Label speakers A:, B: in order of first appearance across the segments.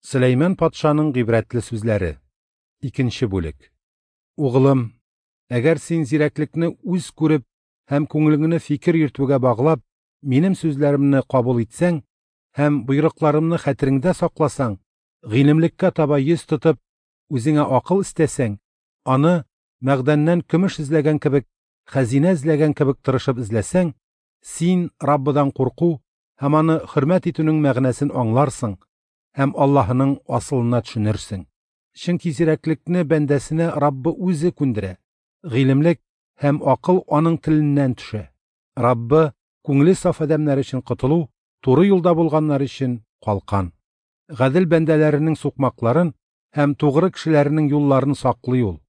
A: Сөләйман патшаның гыйбрәтле сүзләре. Икенче бүлек. Угылым, әгәр син зирәклекне үз күреп һәм күңелеңне фикер йөртүгә баглап, минем сүзләремне кабул итсәң һәм боерыкларымны хәтереңдә сакласаң, гыйлемлеккә таба йөз тотып, үзеңә акыл эстәсәң, аны мәгъдәннән көмеш эзләгән кебек, хәзинә эзләгән кебек тырышып эзләсәң, син Раббыдан курку һәм аны хөрмәт итүнең мәгънәсен аңларсың һәм Аллаһының асылына төшенерсең. Чөнки зирәклекне бәндәсенә Раббы үзе күндерә, гыйлемлек һәм акыл аның теленнән төшә. Раббы күңеле саф адәмнәр өчен котылу, туры юлда булганнар өчен калкан. Гадел бәндәләренең сукмакларын һәм тугры кешеләренең юлларын саклый ул.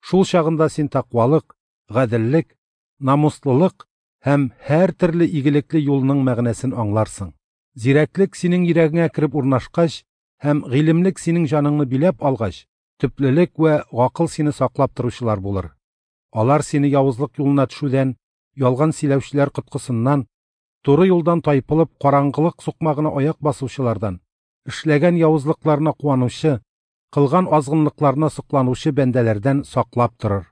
A: Шул чагында син тәкъвалык, гаделлек, намуслылык һәм һәртөрле игелекле юлның мәгънәсен аңларсың. Зирәклек синең йөрәгеңә кереп урнашкач һәм гыйлемлек синең җаныңны биләп алгач, төплелек вә гакыл сине саклап торучылар булыр. Алар сине явызлык юлына төшүдән, ялган сөйләүчеләр коткысыннан, туры юлдан тайпылып, караңгылык сукмагына аяк басучылардан, эшләгән явызлыкларына куанучы, кылган азгынлыкларына сокланучы бәндәләрдән саклап торыр.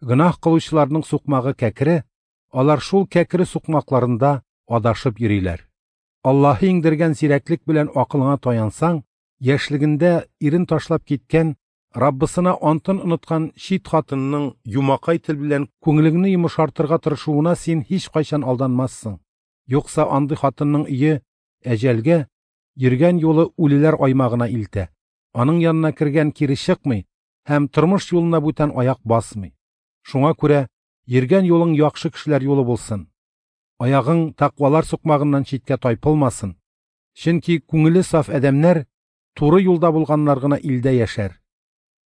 A: Гөнаһ кылучыларның сукмагы кәкре, алар шул кәкре сукмакларында адашып йөриләр. Аллаһы иңдергән зирәклек белән акылыңа таянсаң, яшьлегендә ирен ташлап киткән, Раббысына антын оныткан чит хатынның юмакай тел белән күңелеңне йомшартырга тырышуына син һичкайчан алданмассың. Юкса андый хатынның өе әҗәлгә, йөргән юлы үлеләр аймагына илтә. Аның янына кергән кире чыкмый һәм тормыш юлына бүтән аяк басмый. Шуңа күрә йөргән юлың яхшы кешеләр юлы булсын. Аягың тәкъвалар сукмагыннан читкә тайпылмасын. Чөнки күңеле саф адәмнәр туры юлда булганнар гына илдә яшәр.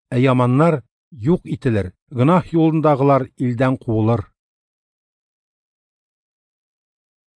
A: Ә яманнар юк ителер, гөнаһ юлындагылар илдән куылыр.